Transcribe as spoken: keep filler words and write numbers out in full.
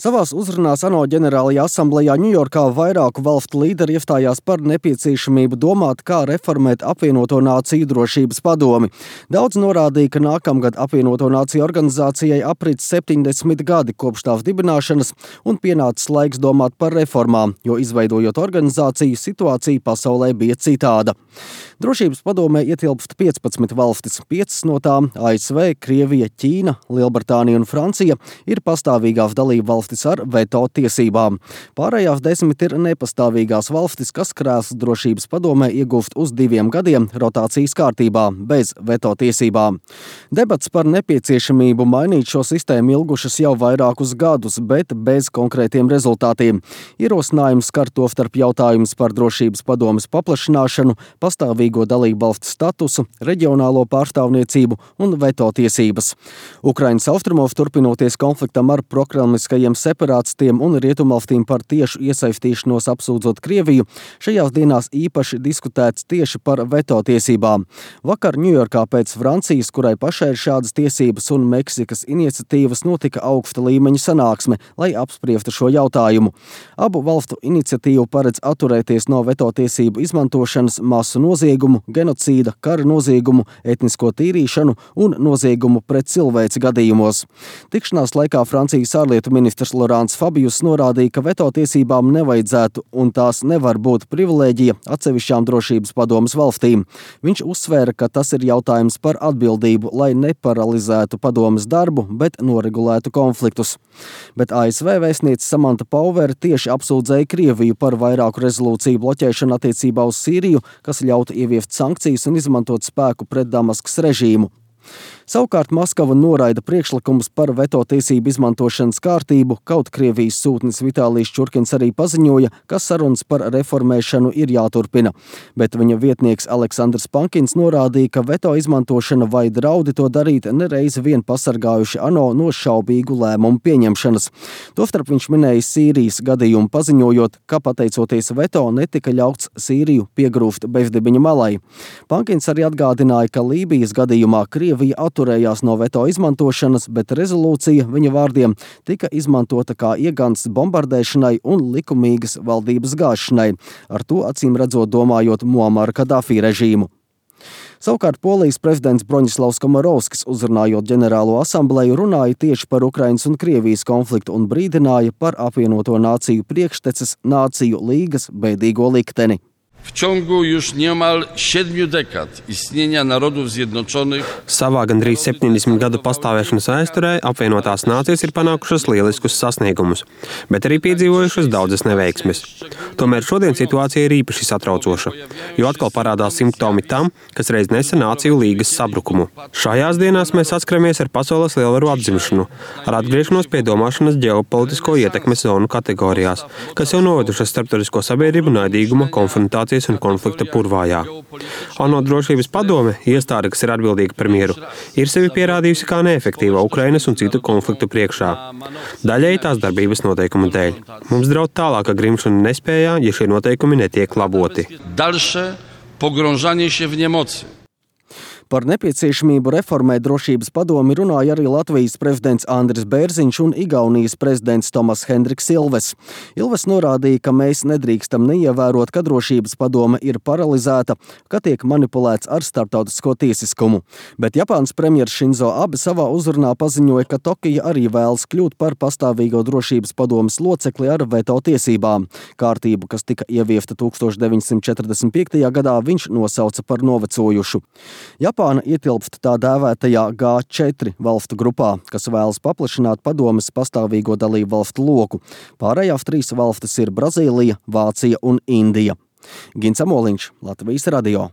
Savās uzrunās ANO ģenerālajā asamblejā Ņujorkā vairāku valstu līderi iestājās par nepieciešamību domāt, kā reformēt apvienoto nāciju drošības padomi. Daudz norādīja, ka nākamgad apvienoto nāciju organizācijai aprit septiņdesmit gadi kopš tās dibināšanas un pienācis laiks domāt par reformām, jo izveidojot organizāciju, situācija pasaulē bija citāda. Drošības padomē ietilpst piecpadsmit valstis, piecas no tām – A S V, Krievija, Ķīna, Lielbritānija un Francija – ir pastāvīgās dalība valstis ar veto tiesībām. Pārējās desmit ir nepastāvīgās valstis, kas krēslu drošības padomē iegūst uz diviem gadiem rotācijas kārtībā, bez veto tiesībām. Debats par nepieciešamību mainīt šo sistēmu ilgušas jau vairākus gadus, bet bez konkrētiem rezultātiem. Ierosinājums skar to starp jautājums par drošības padomes paplašināšanu, pastāvīgo dalību valstu statusu, reģionālo pārstāvniecību un veto tiesības. Ukrainas austrumos turpinoties konfliktam ar prokremliskajiem separātistiem un rietumvalstīm par tiešu iesaistīšanos apsūdzot Krieviju, šajās dienās īpaši diskutēts tieši par veto tiesībām. Vakar Ņujorkā pēc Francijas, kurai pašai ir šādas tiesības, un Meksikas iniciatīvas notika augsta līmeņa sanāksme, lai apspriestu šo jautājumu. Abu valstu iniciatīvu paredz atturēties no veto tiesību izmantošanas masu noziegumu, genocīda, kara noziegumu, etnisko tīrīšanu un noziegumu pret cilvēci gadījumos. Tikšanās laikā Francijas ārlietu ministrs Laurents Fabius norādīja, ka veto tiesībām nevajadzētu un tās nevar būt privilēģija atsevišķām drošības padomes valstīm. Viņš uzsvēra, ka tas ir jautājums par atbildību, lai neparalizētu padomes darbu, bet noregulētu konfliktus. Bet A S V vēstniece Samanta Pauver tieši apsūdzēja Krieviju par vairāku rezolūciju bloķēšanu attiecībā uz Sīriju, kas ļautu ieviest sankcijas un izmantot spēku pret Damaskas režīmu. Savukārt Maskava noraida priekšlikumus par veto tiesību izmantošanas kārtību, kaut Krievijas sūtnis Vitālijs Čurkins arī paziņoja, ka sarunas par reformēšanu ir jāturpina. Bet viņa vietnieks Aleksandrs Pankins norādīja, ka veto izmantošana vai draudi to darīt nereiz vien pasargājuši ANO no šaubīgu lēmumu pieņemšanas. Tostarp viņš minēja Sīrijas gadījumu, paziņojot, ka pateicoties veto netika ļauts Sīriju piegrūst bezdibiņa malai. Pankins arī atgādināja, ka Lībijas gadījumā Krievija atturējās no veto izmantošanas, bet rezolūcija, viņa vārdiem, tika izmantota kā iegansts bombardēšanai un likumīgas valdības gāšanai, ar to acīm redzot domājot Muamara Kadafī režīmu. Savukārt Polijas prezidents Broņislavs Komorovskis, uzrunājot ģenerālo asambleju, runāja tieši par Ukrainas un Krievijas konfliktu un brīdināja par apvienoto nāciju priekšteces nāciju līgas bēdīgo likteni. W ciągu już niemal siedmiu dekad istnienia Narodów Zjednoczonych Savā gandrīz septiņdesmit gadu pastāvēšanas vēsturē apvienotās nācijas ir panākušas lieliskus sasniegumus, bet arī piedzīvojušas daudzas neveiksmes. Tomēr šodien situācija ir īpaši satraucoša, jo atkal parādās simptomi tam, kas reiz nesa nāciju līgas sabrukumu. Šajās dienās mēs saskaramies ar pasaules lielvaru atzimšanu, ar atgriešanos pie domāšanas ģeopolitisko ietekmes zonu kategorijās, kas jau novedušas starptautisko sabiedrību naidīguma, konfrontācijas un konflikta purvājā. ANO drošības padome, iestāde, kas ir atbildīga par mieru, ir sevi pierādījusi kā neefektīva Ukrainas un citu konfliktu priekšā. Daļēji tās darbības noteikumu dēļ. Mums draud tālāka grimšana nespējā, ja šie noteikumi netiek laboti. Dalsze pogrążanie się w niemocy. Par nepieciešamību reformēt drošības padomi runāja arī Latvijas prezidents Andris Bērziņš un Igaunijas prezidents Tomas Hendriks Ilves. Ilves norādīja, ka mēs nedrīkstam neievērot, ka drošības padome ir paralizēta, ka tiek manipulēts ar starptautisko tiesiskumu. Bet Japānas premjers Šinzo Abe savā uzrunā paziņoja, ka Tokija arī vēlas kļūt par pastāvīgo drošības padomes locekli ar veto tiesībām. Kārtību, kas tika ieviesta tūkstoš deviņsimt četrdesmit piektajā gadā, viņš nosauca par novecojušu. Japāna ietilpst tā dēvētajā G četri valstu grupā, kas vēlas paplašināt padomes pastāvīgo dalību valstu loku. Pārējās trīs valstis ir Brazīlija, Vācija un Indija. Gins Amoliņš, Latvijas radio.